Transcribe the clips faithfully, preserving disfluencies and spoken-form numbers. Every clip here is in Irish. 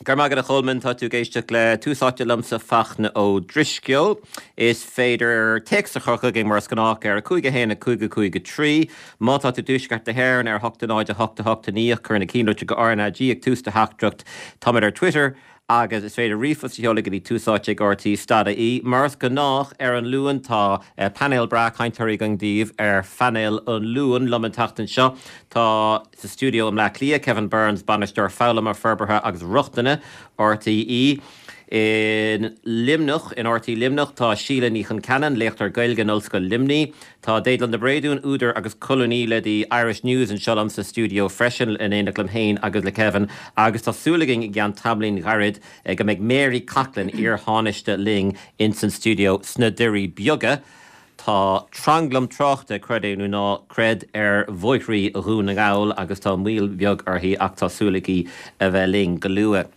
Go raibh maith agat a Cholmáin tá tú ag éisteacht le Tús Áite liomsa Fachtna Ó Drisceoil. Is féidir téacs a chur chugainn mar is gnách ar a cúig a haon a cúig a cúig a trí. Má tá tú i dtuaisceart na hÉireann ar hocht a náid a hocht a hocht a naoi cuir na cinnlitriú go RnaG ag tús do theachtaireacht. Táimid ar Twitter agus is féidir ríomhphost a sheoladh go dtí túsáite ag RTÉ dot ie. Mar is gnách ar an Luan tá eh, painéal breá cainteoirí againn daoibh ar phainéal an Luain liom an tseachtain seo tá sa stiúideo i mBleá Cliath Kevin Burns bainisteoir foghlama forbartha agus rochtana RTÉ. In Luimneach in RTÉ Luimneach tá Síle Ní Chonceanainn léachtóir Gaeilge in Ollscoil Luimnigh, Tá Déaglán de Bréadún údar agus colúnaí le The Irish News anseo liom sa stiúideo freisin in éineacht liom féin agus le Kevin agus tá súil againn i gceann tamaillín ghairid eh, go mbeidh Mary Coughlan iar-thánaiste linn in san stiúideo sna Doirí Beaga. Tá tranglam tráchta creid é nó ná creid ar bhóithre Dhún na nGall agus tá moill bheag uirthi ach tá súil aici a bheith linn go luath.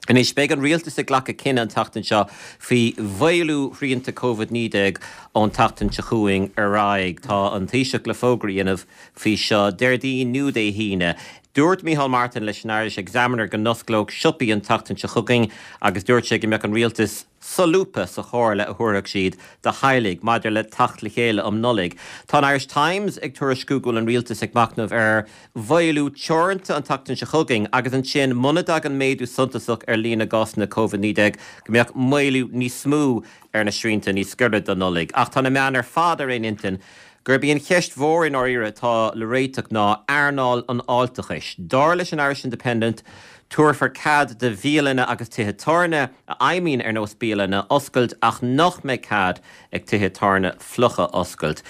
Anois beidh an rialtas ag glacadh cinneadh an tseachtain seo faoi mhaolú shrianta Covid naoi déag ón tseachtain seo chugainn ar aghaidh. Tá an Taoiseach le fógra a dhéanamh faoi seo Déardaoin nó Dé hAoine. Dúirt Micheál Martin leis an Irish Examiner go n-osclódh siopaí an tseachtain seo chugainn agus dúirt sé go mbeadh an rialtas solúbtha sa chomhairle a thabharfadh siad do theaghlaigh maidir le teacht le chéile um Nollaig. Tá an Irish Times ag tuairisciú go bhfuil an rialtas ag machnamh ar mhaolú teoranta an tseachtain seo chugainn agus ansin muna dtagann méadú suntasach ar líon na gcásanna Covid naoi déag go mbeadh maolú níos mó ar na srianta níos gaire don Nollaig. Ach tá na meáin ar fad ar aon intinn gurb í an cheist mhór i ndáiríre atá le réiteach ná earnáil an fháilteachais. Dar leis an Irish Independent, tabharfar cead do bhialanna agus tithe tábhairne a fheidhmíonn ar nós bialanna oscailt ach nach mbeidh cead ag tithe tábhairne fliucha oscailt.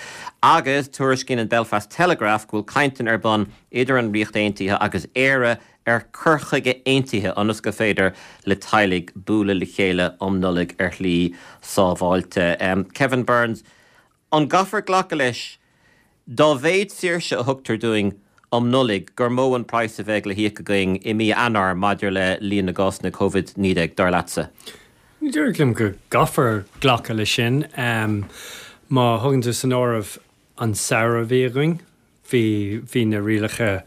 Agus tuairiscíonn an Belfast Telegraph go bhfuil cainteanna ar bun idir an Ríocht Aontaithe agus Éire ar chur chuige aontaithe ionas gur féidir le teaghlaigh bualadh le chéile um Nollaig ar shlí sábháilte. Um, Kevin Burns, an gcaithfear glacadh leis dá mhéad saoirse a thugtar dúinn um Nollaig gur mó an praghas a bheidh le híoc againn i mí Eanáir maidir le líon na gcásanna Covid naoi déag dar leatsa? Ní dóigh liom go gcaithfear glacadh leis sin. Um, má thugann tú san áireamh an samhradh a bhí againn, bhí bhí na rialacha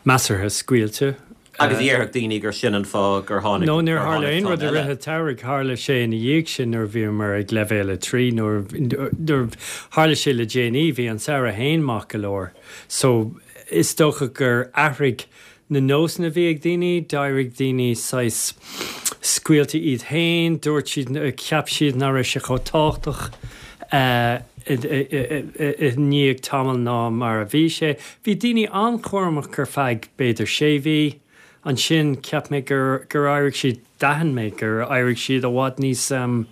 measartha scaoilte. Agus déarfadh daoine gur sin an fáth gur tháinig No níor tharla aon rud i rith an tsamhraidh tharla sé ina dhiaidh sin nuair bhí mar ag leibhéal a trí nuair nuair tharla sé le déanaí bhí an samhradh féin maith go leor. So is dócha gur athraigh na nósanna a bhí ag daoine, d'éirigh daoine saghas scaoilte iad féin, dúirt siad cheap siad nach raibh sé chomh tábhachtach uh, i ndiaidh tamall ná mar a bhí sé. Bhí daoine an-chúramach ar feadh b'fhéidir sé mhí, ansin cheap mé gur gur éirigh siad d'aithin mé gur éirigh siad i bhfad níos um,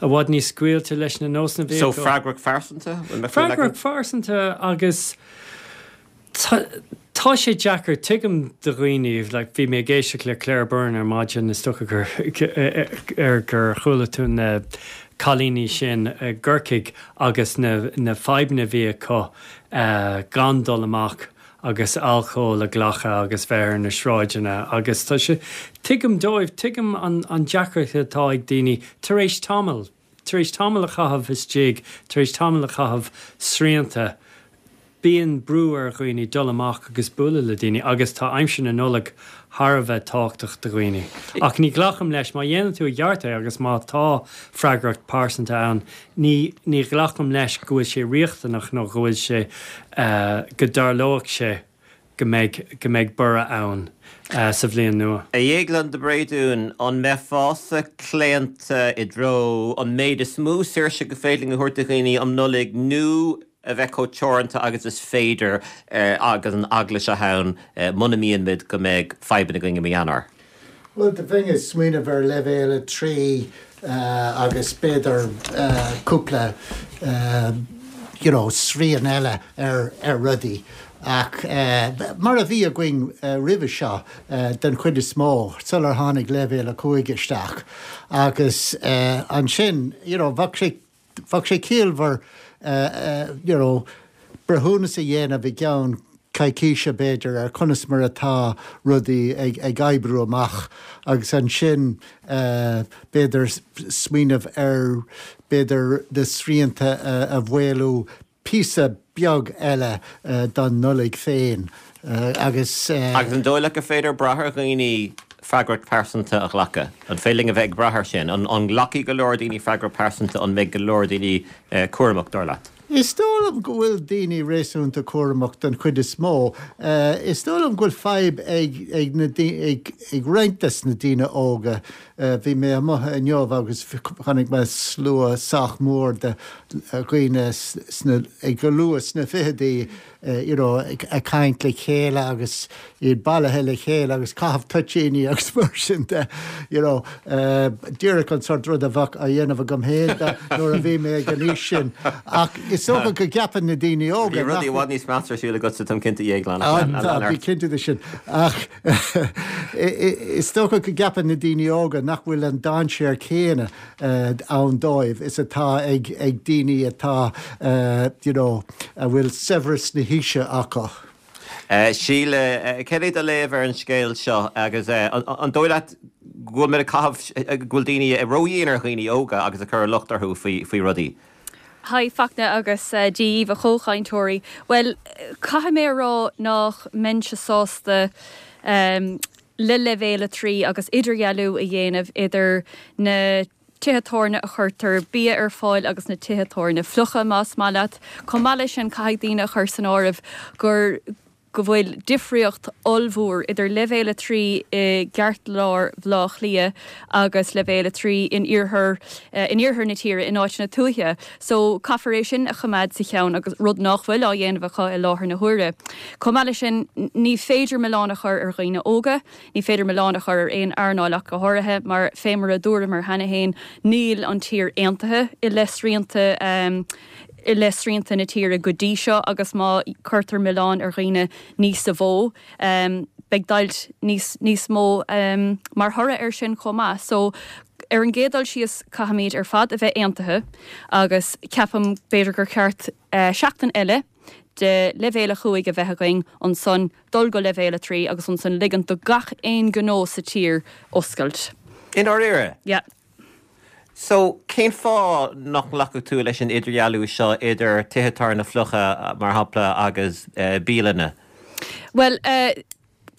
i bhfad níos scaoilte leis na nósanna So freagracht phearsanta? Freagracht phearsanta agus tá tá sé deacair tuigim do dhaoine like, bhí mé ag éisteacht le Claire Byrne ar maidin is dócha gur ar gur chuala tú na cailíní sin i gCorcaigh agus na, na fadhbanna a bhí acu uh, gan dul amach agus alcól a ghlacadh agus bheith ar na sráideanna agus tá sé tuigim dóibh tuigim an, an deacracht atá ag daoine tar éis tamall tar éis tamall a chaitheamh istigh tar éis tamall a chaitheamh srianta bíonn brú ar dhaoine dul amach agus bualadh le daoine agus tá aimsir na Nollag thar a bheith tábhachtach do dhaoine. Ach ní ghlacaim leis má dhéanann tú i gceart é agus má tá freagracht pearsanta ann, ní ní ghlacaim leis go bhfuil sé riachtanach nó go bhfuil sé uh, go dtarlóidh sé go mbeidh go mbeidh borradh ann uh, sa bhliain nua. A Dhéagláin de Bréadún an mbeifeása claonta i dtreo an méid is mó saoirse gur féidir a thabhairt do dhaoine um Nollaig nó a bheith chomh teoranta agus is féidir uh, agus an eagla seo ann uh, muna mbíonn go mbeidh fadhbanna againn i mí Eanáir. Well, the thing is smaoineamh ar leibhéal a trí uh, agus b'fhéidir uh, cúpla uh, you know, srian eile ar, ar rudaí. Ach uh, mar a bhí againn uh, roimhe seo uh, den chuid is mó sular tháinig leibhéal a cúig isteach. Agus uh, ansin you know, bheadh sé bheadh sé ciallmhar uh, uh, you know, breithiúnas a dhéanamh i gceann coicíse b'fhéidir ar conas mar atá rudaí ag, ag oibriú amach agus ansin uh, b'fhéidir smaoineamh ar b'fhéidir na srianta uh, a mhaolú píosa beag eile uh, don Nollaig féin uh, agus uh, agus an dóigh leat gur féidir brath ar dhaoine freagracht pearsanta a ghlacadh? An féidir linn a bheith ag brath air sin? An nglacfaidh go leor daoine freagracht pearsanta, an mbeidh go leor daoine cúramach, dar leat? Is dóigh liom go bhfuil daoine réasúnta cúramach den chuid is mó. Is dóigh liom go bhfuil fadhb ag ag na ag ag roinnt des na daoine óga. Bhí mé amuigh inniu agus chonaic mé slua sách mór de dhaoine sna ag go luath sna fichidí you know ag caint le chéile agus iad bailithe le chéile agus caitheamh toitíní agus mar sin de you know díreach an sort rud a bheadh á dhéanamh agam féin nuair a bhí mé ag an aois sin. Ach is dócha go gceapann na daoine óga. Bhí rudaí i bhfad níos measa ar siúl agatsa, táim cinnte, a Dhéagláin. Tá, bí cinnte de sin. Ach is dócha go gceapann na daoine óga nach bhfuil an dainséar céanna ann dóibh is atá ag ag daoine atá you know a bhfuil saibhreas na haoise acu. Síle, céard é do léamh ar an scéal seo agus an dóigh leat go bhfuil muid ag caitheamh, go bhfuil daoine ródhian ar dhaoine óga agus ag cur an locht orthu faoi faoi rudaí? Hi Fachtna agus Dia dhaoibh a chomhchainteoirí. Bhuel, caithfidh mé a rá nach mbeinnse sásta le leibhéal a trí agus idirdhealú a dhéanamh idir na tithe tábhairne a chuirtear bia ar fáil agus na tithe tábhairne fliucha, más maith leat. Chomh maith leis sin, caithfidh daoine a chur san áireamh gur go bhfuil difríocht ollmhór idir leibhéal a trí i gceartlár Bhaile Átha Cliath agus leibhéal a trí in iarthar in iarthar na tíre in áiteanna tuaithe. So caithfear é sin a choimeád sa cheann agus rud nach bhfuil á dhéanamh acu i láthair na huaire. Chomh maith leis sin, ní féidir milleán a chur ar dhaoine óga, ní féidir milleán a chur ar aon earnáil ach go háirithe, mar fé mar a dúramar cheana féin, níl an tír aontaithe i leith srianta i leith srianta na tíre go dtí seo agus má cuirtear milleán ar dhaoine níos mó, beidh deighilt níos níos mó mar thoradh air sin chomh maith. So ar an gcéad dul síos caithfimid ar fad a bheith aontaithe agus ceapaim b'fhéidir gur cheart seachtain eile de leibhéal a cúig a bheith againn, ansan dul go leibhéal a trí agus ansan ligint do gach aon ghnó sa tír oscailt. I ndáiríre? Yeah. So, cén fáth nach nglacfadh tú leis an idirdhealú seo idir tithe tábhairne fliucha, mar shampla, agus bialanna? Bhuel,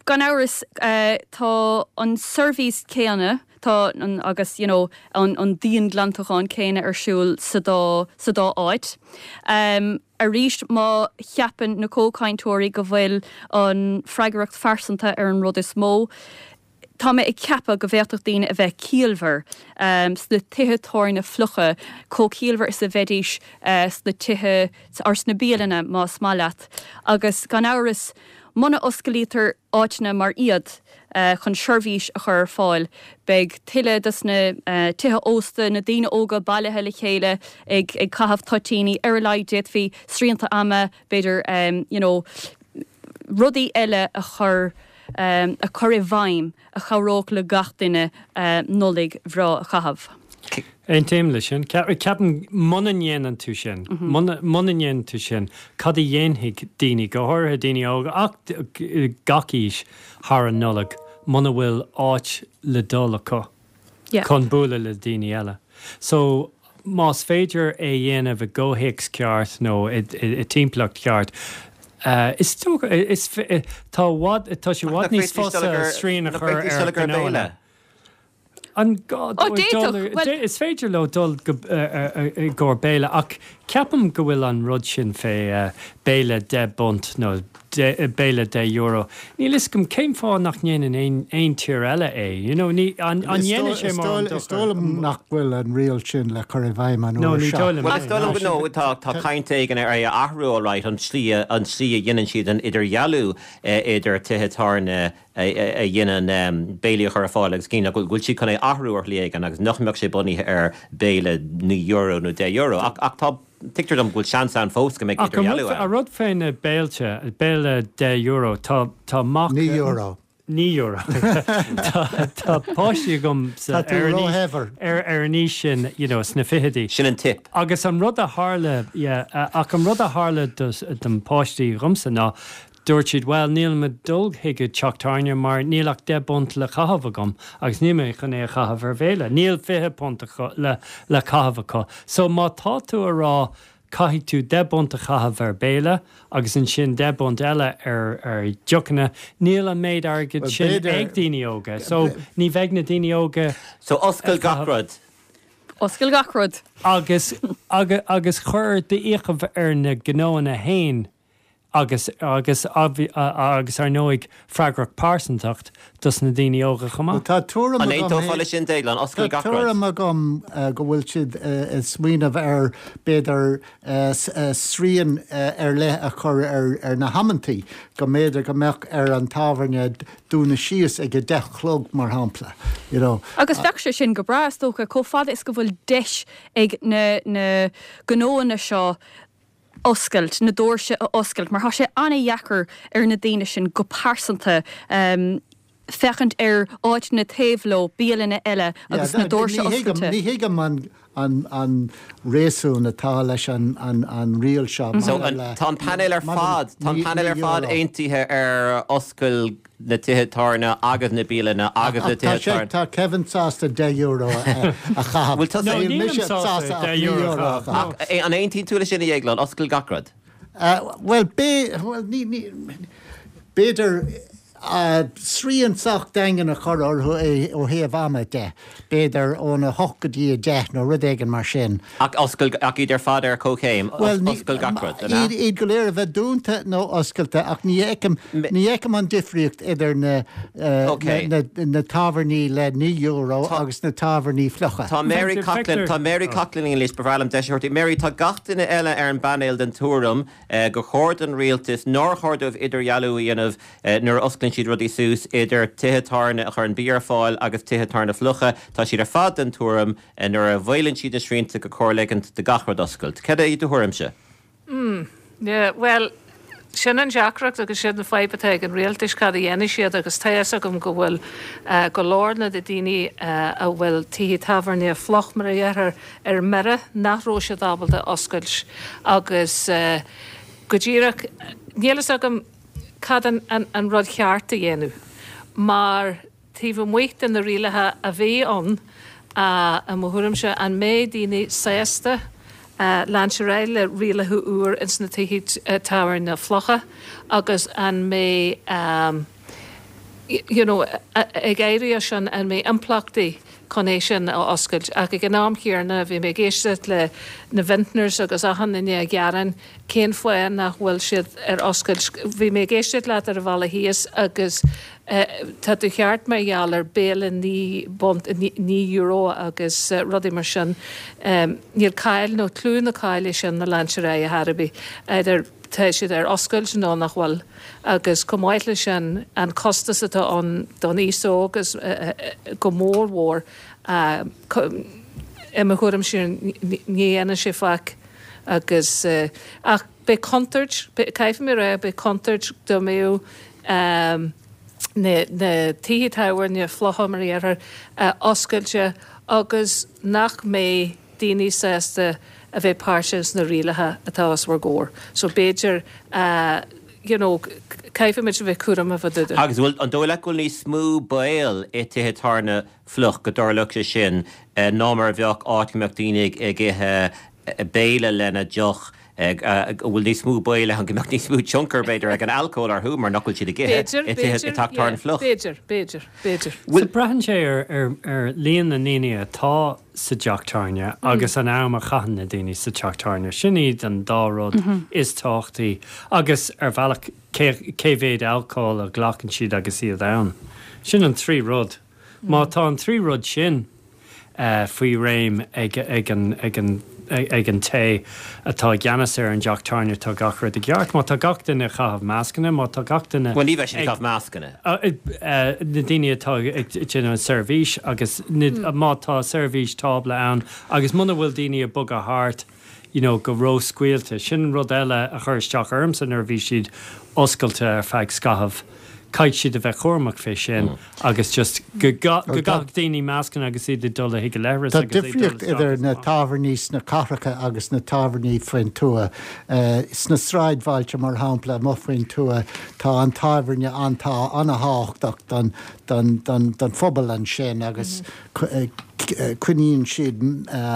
gan amhras, tá an seirbhís céanna, tá an, agus, you know, an, an dian-ghlantachán céanna ar siúl sa dá, sa dá áit. Arís, má cheapann na comhchainteoirí go bhfuil an freagracht phearsanta ar an rud is mó, Tá mé ag ceapadh go bhféadfadh daoine a bheith ciallmhar sna tithe tábhairne fliucha, chomh ciallmhar is a bheidís sna tithe, or sna bialanna más maith leat. Agus gan amhras, muna osclaítear áiteanna mar iad chun seirbhís a chur ar fáil, beidh tuilleadh dos na tithe ósta, na daoine óga bailithe le chéile ag caitheamh toitíní. Ar a laghad d'fhéadfaí srianta ama, b'fhéidir, you know, rudaí eile a chur a chur i bhfeidhm a chabhródh le gach duine Nollaig bhreá a chaitheamh. Aontaím leis sin. Ceapaim muna ndéanann tú sin, muna ndéanann tú sin, cad a dhéanfaidh daoine, go háirithe daoine óga ach gach aois, thar an Nollaig muna bhfuil áit le dul acu chun bualadh le daoine eile? So, más féidir é a dhéanamh i gcomhthéacs ceart nó i dtimpeallacht cheart, is dócha, is, tá i bhfad, tá sé i bhfad níos fusa srian a chur ar ghnóanna. An gá dóibh dul, is féidir leo dul go, i gcomhair béile ach ceapaim go bhfuil an rud sin fé béile deich bpunt nó béile deich euro. Níl fhios agam cén fáth nach ndéanann aon aon tír eile é. You know, ní, an, an ndéanann sé mórán Is dóigh liom nach bhfuil an riail sin le cur i bhfeidhm an No, uair ní seo. dóigh liom Bhuel, is é. dóigh liom go no, tá, tá caint éigin ar é a athrú alright, an tslí a, an tslí a dhéanann siad an idirdhealú idir tithe tábhairne a, a dhéanann béilí a chur ar fáil agus cinn nach bhfuil, go bhfuil siad chun é a athrú ar shlí éigin agus nach mbeadh sé bunaithe ar béile naoi euro nó deich euro. Ach, ach tá, tuigtear dom go bhfuil seans ann fós go mbeidh Ach an idirdhealú rud, ann. an rud fé na béilte, béile deich euro, tá, tá mac, Naoi euro. naoi euro. Tá, tá páistí agam sa, Tá tú ar an aois, róshaibhir. ar, ar an aois sin, you know, sna fichidí. Sin an tip. Agus an rud a tharla, yeah, ach an rud a tharla do, don páistí dhomsa ná, Dúirt siad, Bhuel, nílim ag dul chuig an teach tábhairne mar níl ach deich bpunt le caitheamh agam agus níl mé chun é a chaitheamh ar bhéile. Níl fiche punt le le caitheamh acu. So má tá tú a rá caithfidh tú deich bpunt a chaitheamh ar béile agus ansin deich bpunt eile ar ar deochanna. Níl an méid airgid sin ag daoine óga. So ní bheidh na daoine óga So oscail gach rud. Oscail gach rud. Agus agus agus cuir d'fhiachaibh ar na gnóanna fhéin agus agus agus ar ndóigh freagracht pearsantacht dos na daoine óga chomh maith. Tá tuairim An agam aontófá leis sin, Déaglán? Oscail Tá gach rud. tuairim agam go bhfuil siad ag smaoineamh ar b'fhéidir srian ar leith a chur ar na hamantaí, go mb'fhéidir go mbeadh ar an tábhairne dúnadh síos ag a deich a chlog mar shampla, you know. Agus bheadh sé sin go breá is dócha, chomh fada is go bhfuil deis ag na na gnóanna seo oscailt, na doirse a oscailt, mar tá sé an-dheacair ar na daoine sin go pearsanta féachaint ar áiteanna taobh leo, bialanna eile agus na doirse oscailte. Ní thuigim an an an réasún atá leis an an an riail seo. So an tá an painéal ar fad, tá an painéal ar fad aontaithe ar oscail na tithe tábhairne agus na bialanna agus na tithe tábhairne. Tá Kevin sásta deich euro a chaitheamh. Bhfuil tusa Níl mise sásta deich euro a chaitheamh. Ach an aontaíonn tú leis sin a Dhéagláin, oscail gach rud? Bhuel, bhuel ní ní b'fhéidir srian sách daingean a chur orthu ó thaobh ama de, b'fhéidir óna hocht go dtí a deich nó rud éigin mar sin. Ach oscail, ach iad ar fad ar comhchéim, oscail gach rud, an ea? Iad, iad go léir a bheith dúnta nó oscailte ach ní fheicim, ní fheicim an difríocht idir na, na, na tábhairní le naoi euro agus na tábhairní fliucha. Tá Mary Coughlan, tá Mary Coughlan linn anois, ba bhreá liom deis a thabhairt di. Mary, tá gach duine eile ar an bpainéal den tuairim gur chóir don rialtas, nár chóir dóibh idirdhealú a dhéanamh nuair a osclaíonn siad rudaí suas idir tithe tábhairne a chuireann bia ar fáil agus tithe tábhairne fliucha. Tá siad ar fad den tuairim nuair a mhaolaíonn siad na srianta gur chóir ligint do gach rud oscailt. Cad é do thuairimse? Mm, yeah, bhuel, sin an deacracht agus sin an fadhb atá ag an rialtas cad a dhéanfaidh siad agus tá fhios agam go bhfuil go leor na daoine a bhfuil tithe tábhairne fliuch mar a dheirtear ar mire nach raibh siad ábalta oscailt agus go díreach níl fhios agam cad an an rud cheart a dhéanamh mar taobh amuigh de na rialacha a bhí ann i mo thuairimse an mbeidh daoine sásta leanúint ar aghaidh le rialacha úr ins na tithe tábhairne fliucha agus an mbeidh you know ag éirí as sin an mbeidh impleachtaí chun é sin a oscailt. Ach ag an am chéanna bhí mé ag éisteacht le na vintners agus achan duine ag gearán cén fáth nach bhfuil siad ar oscailt. Bhí mé ag éisteacht leat ar an bhealach thíos agus tá tú ceart mar gheall ar béile naoi bpunt, naoi euro agus rudaí mar sin. Níl cáil nó clú na cáile sin ag leanúint ar aghaidh ar chor ar bith, either tá siad ar oscailt nó nach bhfuil. Agus chomh maith leis sin an costas atá ann don aos óg agus go mór mhór i mo thuairimse ní dhéanann sé faic agus ach beidh contúirt, caithfidh mé a rá, beidh contúirt dá mbeadh na tithe tábhairne fliucha mar a déarfá oscailte agus nach mbeidh daoine sásta a bheith páirteach sna rialacha atá os bhur gcomhair. So b'fhéidir you know caithfimid a bheith cúramach fá dtaobh de. Agus bhfuil, an dóigh leat go bhfuil níos mó baol i tithe tábhairne fliuch go dtarlódh sé sin ná mar a bheadh áit go mbeadh daoine ag ithe béile lena deoch, go bhfuil níos mó baol ann go mbeadh níos mó tionchar b'fhéidir ag an alcól orthu mar nach bhfuil siad ag ithe i tithe i teach tábhairne fliuch? B'fhéidir, b'fhéidir, b'fhéidir. So braitheann sé ar ar ar líon na ndaoine atá sa teach tábhairne agus an am a chaitheann na daoine sa teach tábhairne. Sin iad an dá rud is tábhachtaí agus ar bhealach cé cé mhéad alcóil a ghlacann siad agus iad ann. Sin an trí rud. Má tá an trí rud sin faoi réim ag ag an ag an ag an té atá i gceannas ar an dteach tábhairne tá gach rud i gceart. Má tá gach duine ag caitheamh mascanna, má tá gach duine Bhuel ní bheidh siad ag caitheamh mascanna. Na daoine atá ag déanamh an seirbhís agus má tá seirbhís tábla ann agus muna bhfuil daoine ag bogadh thart you know go ró-scaoilte. Sin rud eile a chuir isteach ormsa nuair a bhí siad oscailte ar feadh scaithimh. Caithfidh siad a bheith cúramach fé sin agus just go gcaithfeadh daoine mascanna agus iad ag dul chuig an leithreas Tá agus iad ag dul difríocht isteach idir agus na amach. tábhairní sna cathracha agus na tábhairní faoin tuath. Sna sráidbhailte, mar shampla, amuigh faoin tuath, tá an tábhairne an-tábhachtach don don don don phobal ansin agus coinníonn siad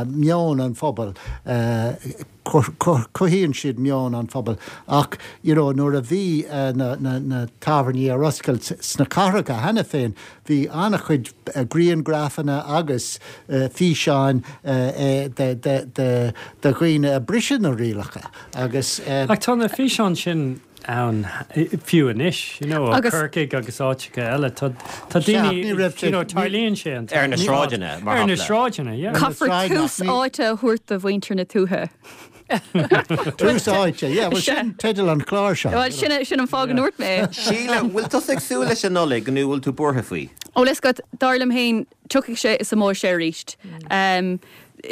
meon an phobail, cothaíonn siad meon an phobail ach you know nuair a bhí na na na tábhairní ar oscailt sna cathracha cheana féin bhí an-chuid grianghrafanna agus físeáin de de de de dhaoine ag briseadh na rialacha agus. Ach tá na físeáin sin ann fiú anois, you know, ó Corcaigh agus áiteacha eile. Tá tá daoine, you know, tarlaíonn sé an Ar na sráideanna, mar Ar na shampla. sráideanna, yeah. Caithfear tús áite a thabhairt do mhuintir na tuaithe. Tús áite, yeah, well sin teideal an chláir seo. Well sin sin an fáth go ndúirt mé. Síle, bhfuil tusa ag súil leis an Nollaig nó bhfuil tú buartha faoi? Ó leis go dar liom féin tiocfaidh sé is imeoidh sé arís. Um,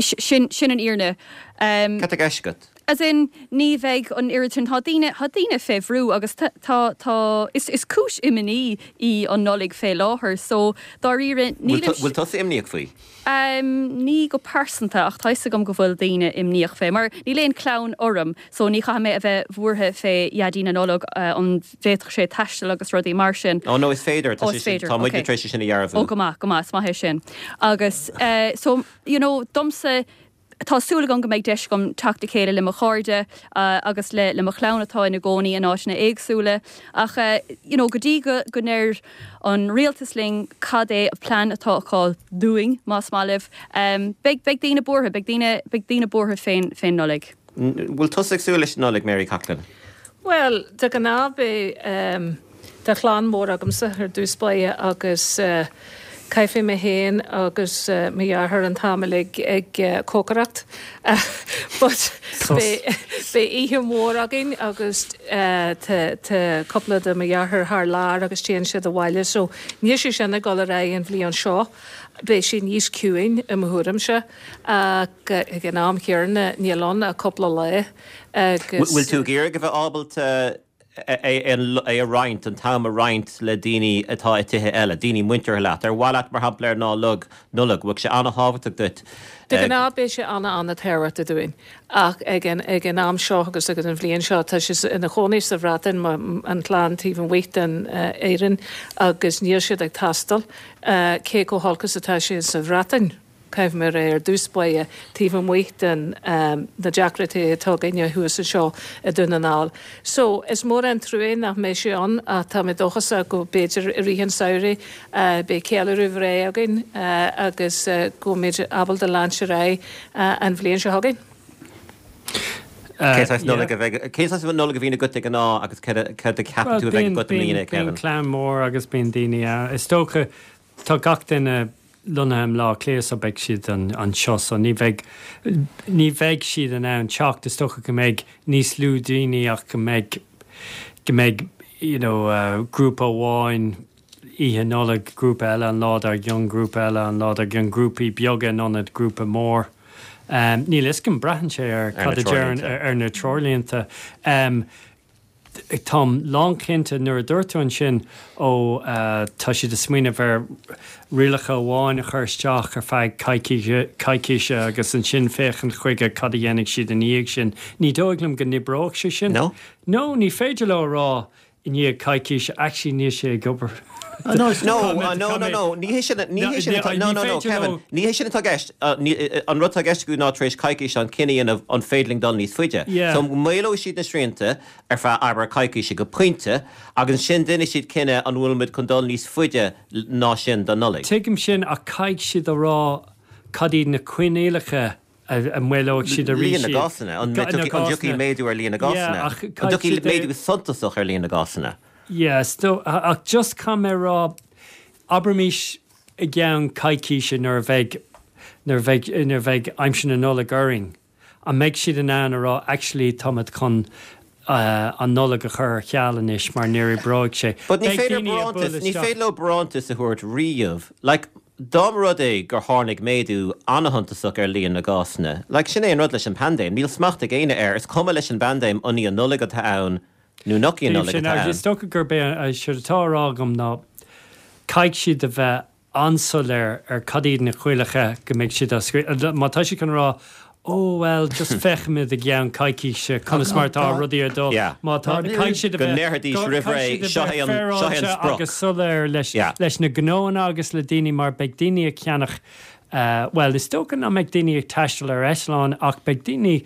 sin sin an fhírinne. Um, Cad tá i gceist agat? As in ní bheidh an oiread sin tá daoine tá daoine fé bhrú agus tá tá tá is is cúis imní í an Nollaig fé láthair so dáiríre Bhfuil tu- bhfuil tusa imníoch faoi? Um, ní go pearsanta ach tá a fhios agam go bhfuil daoine imníoch fé, mar níl aon chlann orm, so ní chaithfidh mé a bheith buartha fé Dhaidí na Nollag uh, an bhféadfadh sé taisteal agus rudaí mar sin. Ó no is féidir Ó, is féidir, tá muid okay. tar éis sin a dhearbhú. Ó go maith, go maith, is maith é sin. Agus uh, so you know, domsa tá súil agam go mbeidh deis agam teacht le chéile le mo chairde uh, agus le le mo chlann atá ina gcónaí in áiteanna éagsúla ach uh, you know, go dtí go go ndeir an rialtas linn cad é an plean atá acu dúinn más maith libh um, beidh beidh daoine buartha beidh daoine beidh daoine buartha fén fén Nollaig. Bhfuil tusa ag súil leis an Nollaig Mary Coughlan? Well, de ghnáth beidh um, tá clann mór agamsa ar dtús báire agus uh, caithfidh mé féin agus uh, mo dheartháir an t-am ag ag uh, cócaireacht. Uh, but beidh beidh oíche mhór againn agus uh, tá cúpla de mo dheartháir thar lear agus téann siad abhaile, so níl sé sin ag dul ar aghaidh an bhliain seo. Beidh sé níos ciúine i mo thuairimse ach ag an am céanna níl ann ach cúpla lá agus Bhfuil tú ag iarraidh a bheith ábalta é é a roinnt an t-am a roinnt le daoine atá i tithe eile, daoine muinteartha leat, ar mhaith leat mar shampla ar Lá Nollag, bhfuil sé an-thábhachtach duit. De ghnáth beidh sé an-an-tábhachtach dúinn ach ag an ag an am seo agus agus an bhliain seo tá sé ina chónaí sa Bhreatain an chlann taobh amuigh den Éirinn agus níl siad ag taisteal cé chomh holc is atá sé sa Bhreatain. Caithfidh mé ar dtús báire taobh amuigh den um, na deacrachtaí atá againne thuas anseo i Dún na nGall. So is mór an trua nach mbeidh sé ann ach tá mé dóchasach go b'fhéidir i rith an tsamhraidh uh, beidh ceiliúradh breá againn uh, agus uh, go mbeidh ábalta leanúint ar aghaidh uh, an bhliain seo chugainn. Cén saghas Nollag a bheidh cén saghas Nollag a bhíonn agat de ghnáth agus cad a cheapann tú a bheidh agat i mbliana Bíonn Kevin? clann mór agus bíonn daoine ann. Is dócha tá gach duine lonnaithe i mBleá Cliath so beidh siad an anseo so ní bheidh ní bheidh siad in ann teacht is dócha go mbeidh níos lú daoine ach go mbeidh go mbeidh you know, uh, grúpa amháin oíche Nollag grúpa eile an lá dár gcionn grúpa eile an lá dár gcionn grúpaí beaga in ionad grúpa mór. Um, níl a fhios agam braitheann sé ar Ar na cad a deireann treoirlínte. ar, ar na treoirlínte. Um, Táim lánchinnte nuair a dúirt tú ansin ó uh, tá siad ag smaoineamh ar rialacha amháin a chur isteach ar feadh coicíse coicíse agus ansin féachaint chuige cad a dhéanfaidh siad ina dhiaidh sin. Ní dóigh liom go n-oibreoidh sé sin. No? No, ní féidir leo rá i ndiaidh coicíse actually níl sé ag obair. No, uh, no, no, no, ní hé sin ní hé sin atá- no, no, no, Kevin, ní hé sin atá i gceist uh, ní- uh, an rud atá i gceist acu ná tar éis coicís an cinneadh a dhéanamh an féidir linn dul níos faide. Yeah. So maolóidh siad na srianta ar feadh abair coicíse go pointe agus sin déanfaidh siad cinneadh an bhfuil muid chun dul níos faide ná sin don Nollaig. Tuigim sin ach caithfidh siad a rá cad iad na coinníollacha a a maolóidh siad arís Líon na iad. gcásanna, an Ga- na an dtiocfaidh gcásanna. méadú ar líon na Yeah, gcásanna. ach An caithfidh dtiocfaidh siad a- méadú suntasach ar líon na gcásanna. Yes, do, ach just caithfidh mé rá abraimis i gceann coicíse nuair a bheidh nuair a bheidh nuair a bheidh aimsir na Nollag orainn. An mbeidh siad in ann a rá actually táimid chun uh, an Nollaig a chur ar ceal anois mar níor oibrigh sé. But ní Beidh féidir daoine ag barántas bualadh ní isteach. féidir leo barántas a thabhairt riamh. Like, dá mba rud é gur tháinig méadú an-shuntasach ar líon na gcásanna. Like sin é an rud leis an paindéim, níl smacht ag éinne air, is cuma leis an bpaindéim an í an Nollaig atá ann nó nach í an Nollaig Sin atá agus is ann. dócha gurb é séard atá á rá agam ná caithfidh siad a bheith an-soiléir ar cad iad na coinníollacha go mbeidh siad á scrí- Má tá siad chun rá ó well just féachfaimid i gceann coicíse conas mar tá rudaí ag dul Yeah. má tá caithfidh siad a Go bheith- ndéarfaidís go- roimh ré, caithfidh siad a seo bheith é an- seo é an féaráilte sprioc. agus soiléir leis Yeah. leis na gnóanna agus le daoine mar beidh daoine ag ceannach Bhuel, is dócha nach mbeidh daoine ag taisteal ar eitleán ach beidh daoine,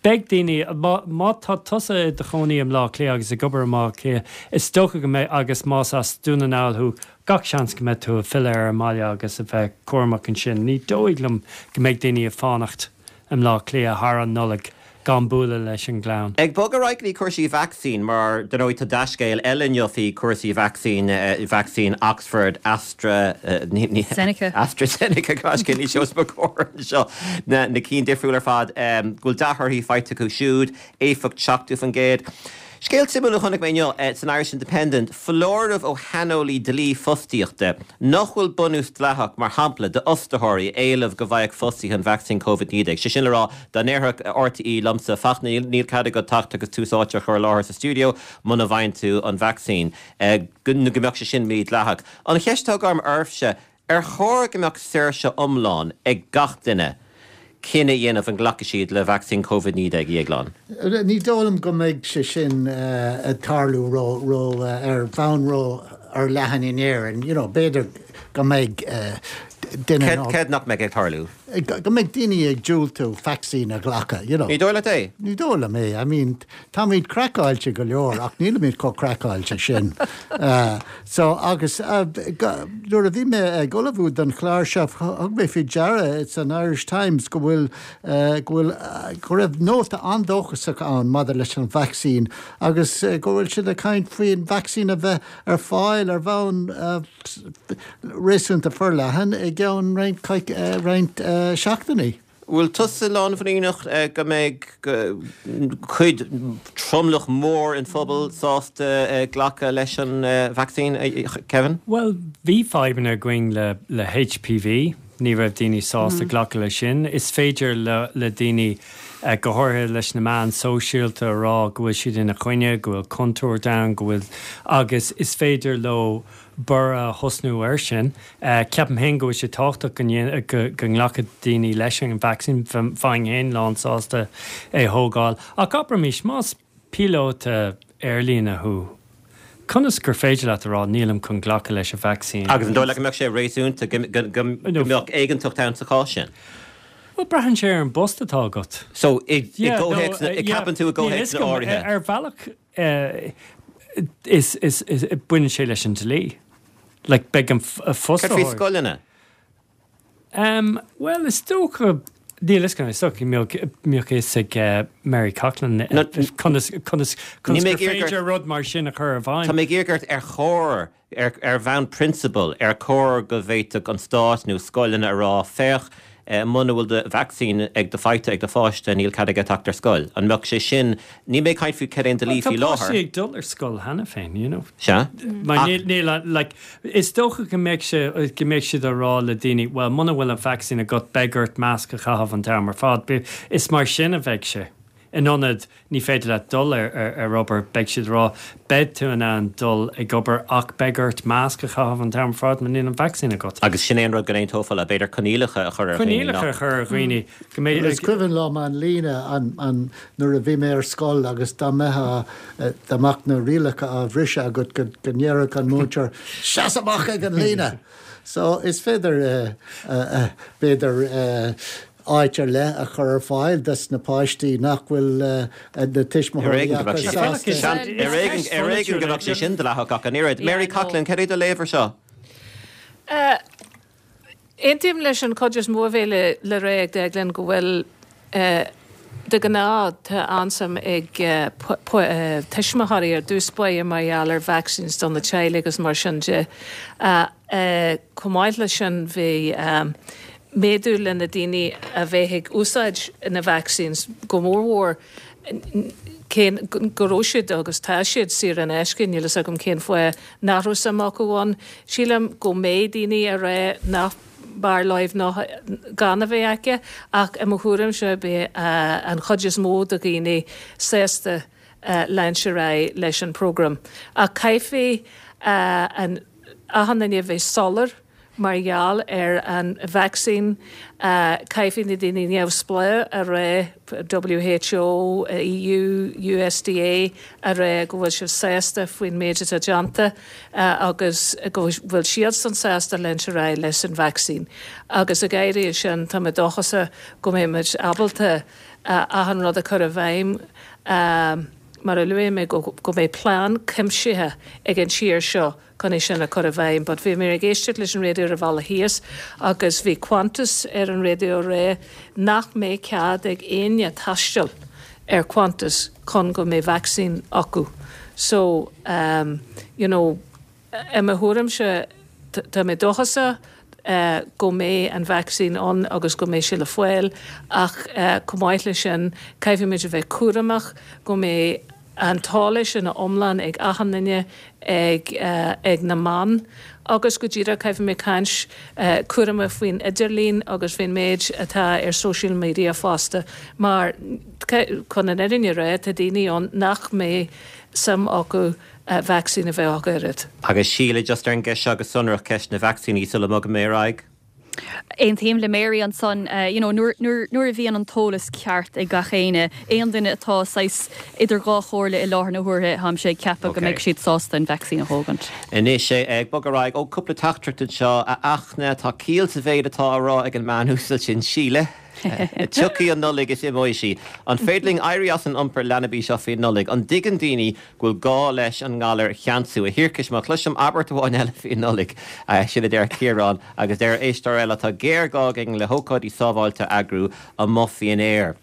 beidh daoine, má, má tá tusa i do chónaí i mBleá Cliath agus ag obair i mBleá Cliath, is dócha go mbeidh, agus más as Dún na nGall thú, gach seans go mbeidh tú ag filleadh ar an mbaile agus a bheith cúramach ansin. Ní dóigh liom go mbeidh daoine ag fanacht i mBleá Cliath thar an Nollaig gan bualadh leis an gclann. Ag bogadh ar aghaidh go dtí cúrsaí vacsaín, mar dar ndóigh tá dea-scéal eile inniu faoi chúrsaí vacsaín, vacsaín Oxford Astra, Zeneca. AstraZeneca, gaisce ní seos mo chomhair anseo, na na cinn difriúil ar fad, go bhfuil dea-thorthaí faighte acu siúd, éifeacht seachtó faoin gcéad. Scéal suimiúil a chonaic mé inniu san Irish Independent, foláireamh ó shaineolaí dlí fostaíochta nach bhfuil bunús dleathach, mar shampla, d'fhostaitheoirí éileamh go bhfaigheadh fostaithe an vacsaín Covid naoi déag. Sé sin le rá, dá ndéarfadh R T E liomsa, Fachtna, níl cead agat teacht agus Tús Áite a chur i láthair sa stiúideo muna bhfaigheann tú an vacsaín, go mbeadh sé sin mídhleathach. An cheist atá agam oraibhse, ar chóir go mbeadh saoirse iomlán ag gach duine cinneadh a dhéanamh an nglacfaidh siad le vacsaín Covid naoi déag, a Dhéagláin? Ní dóigh liom go mbeidh sé sin ag tarlú ró ró ar bhonn ró-fhorleathan in Éirinn. You know, b'fhéidir go mbeidh duine Céard céard nach mbeidh ag tarlú? Go mbeidh daoine ag diúltú vacsaín a ghlacadh, you know. Ní dóigh leat é? Ní dóigh liom é. I mean, táimid craiceáilte go leor ach nílimid chomh craiceáilte sin. Uh, so agus uh, nuair a bhí mé ag ullmhú don chlár seo thug mé faoi deara san Irish Times go bhfuil uh, go bhfuil uh, go raibh nóta an-dóchasach ann maidir leis an vacsaín agus uh, go bhfuil siad ag caint faoin vacsaín a bheith ar fáil ar bhonn uh, réasúnta forleathan i gceann roinnt uh, roinnt uh, seachtainí. Bhfuil tusa lánmhuiníneach go mbeidh cuid tromlach mór an phobal sásta glacadh leis an vacsaín, Kevin? Well, bhí fadhbanna againn le, le H P V, ní raibh daoine sásta mm. glacadh leis sin. Is féidir le, le daoine uh, go háirithe leis na meáin sóisialta a rá go bhfuil siad ina choinne, go bhfuil contúirt ann, go bhfuil agus is féidir leo borradh a thosnú air sin. Uh, Ceapaim féin go bhfuil sé tábhachtach go go nglacfaidh daoine leis an vacsaín bheinn féin lán sásta é thógáil. Ach abraimis más píolóta aerlíne thú. Conas gur féidir leat a rá nílim chun glacadh leis an vacsaín. Agus an dóigh leat go mbeadh sé réasúnta go mbeadh éigeantacht ann sa chás sin. Well braitheann sé ar an bpost atá agat. So i gceapann tú i gcomhthéacs áirithe. Ar bhealach is is is baineann sé leis an dlí. Like beidh an fos scoileanna? Um, well is dócha Níl is is mbeadh fhios ag Mary Coughlan conas conas féidir rud mar sin a chur i bhfeidhm. Tá mé ag ar chóir ar ar bhonn prionsabail ar chóir go bhféadfadh an stát nó scoileanna a rá féach muna bhfuil do vacsaín ag do faighte ag do pháiste níl cead aige teacht ar scoil. An mbeadh sé sin ní mé caint faoi cad é an dlí faoi láthair. Tá ag dul ar scoil cheana féin, you know. Se? Mar níl like, is dócha go mbeidh sé go mbeidh siad a rá le daoine, well muna bhfuil an vacsaín agat beidh ort masc a chaitheamh an t-am ar fad. Is mar sin a bheidh sé. In ionad ní féidir le dul ar, ar, ar obair beidh siad rá beidh tú in ann dul ag obair ach beidh ort masc a chaitheamh an t-am ar fad má níl an vacsaín agat. Agus sin é an rud go n-aontófá le b'fhéidir coinníollacha a chur ar Coinníollacha a chur ar dhaoine go mbeidh Is cuimhin liom an líne an, an nuair a bhí mé ar scoil agus dá mbeadh dá mbeadh na rialacha á bhriseadh agat go go ndéarfadh an múinteoir seas amach ag an líne. So is féidir uh, uh, uh, b'fhéidir uh, áit ar leith a chur ar fáil dos na páistí nach bhfuil uh, na tuismitheoirí Ar éigean go mbeadh sé sin dleathach ach an oiread. Mary Coughlan, cad é do léamh air seo? Aontaím leis an chuid is mó a bhí le le rá ag Declan go bhfuil de ghnáth tá an-suim ag tuismitheoirí ar dtús báire mar gheall ar vaccines don na teaghlaigh agus mar sin de. Chomh maith leis sin bhí méadú le na daoine a bheith ag úsáid na vaccines go mórmhór cén go raibh siad agus tá siad saor in aisce níl a fhios agam cén fáth nach raibh suim acu ann. Sílim go mbeidh daoine a rá nach b'fhearr leo ná gan a bheith aici ach i mo thuairimse beidh an chuid is mó de dhaoine sásta leanúint ar aghaidh leis an program. Ach caithfidh an achan duine bheith soiléir mar gheall ar an vaccine uh, caithfidh na daoine neamhspleách a rá WHO, EU, USDA a rá go bhfuil siad sásta faoin méid atá déanta uh, agus go bhfuil siadsan sásta leanúint ar aghaidh leis an vaccine. Agus ag éirí sin tá mé dóchasach go mbeimid ábalta uh, achan rud a chur i bhfeidhm um, mar a luaigh mé go, go mbeidh plean cuimsitheach ag an tír seo chun é sin a chur i bhfeidhm, but bhí mé ag éisteacht leis an raidió ar an bhealach thíos agus bhí Qantas ar an raidió ag rá nach mbeidh cead ag éinne taisteal ar Qantas chun go mbeidh vaccine acu. So um, you know, i mo thuairimse tá mé dóchasach uh, go mbeidh an vaccine ann agus go mbeidh sé le fáil ach uh, chomh maith leis sin caithfimid a bheith cúramach go mbeidh an t-eolas ina iomlán ag achan duine ag, uh, ag na meáin agus go díreach caithfimid caint uh, cúramach faoin idirlíon agus faoin méid atá ar social media fosta mar chun an fhírinne a rá tá daoine ann nach mbeidh suim acu uh, vaccine a bheith acu oiread. Agus Síle just ar an gceist agus sonrach ceist na vacsaíní sula mbogaim ar aghaidh. Aontaím le Mary ansan uh, you know, nuair a bhíonn an t-eolas ceart ag gach éinne aon duine atá saghas idir dhá chomhairle i láthair na huaire tá mé ag ceapadh okay. go mbeidh siad sásta an vaccine a thógaint. Anois sé ag bogadh ar aghaidh ó cúpla teachtaireacht seo a Fhachtna tá ciall sa mhéid atá á rá ag an mbean uasal sin Síle. Tiocfaidh an Nollaig is imeoidh sí. An féidir linn éirí as an iompar leanaí seo faoi Nollaig, an dtuigeann daoine go bhfuil gá leis an ngalar a cheansú a thiarcais má chloisim abairt amháin eile faoi Nollaig sin a deir Ciarán agus deir éisteoir eile tá géarghá againn le hócáidí sábháilte a eagrú amuigh faoin aer.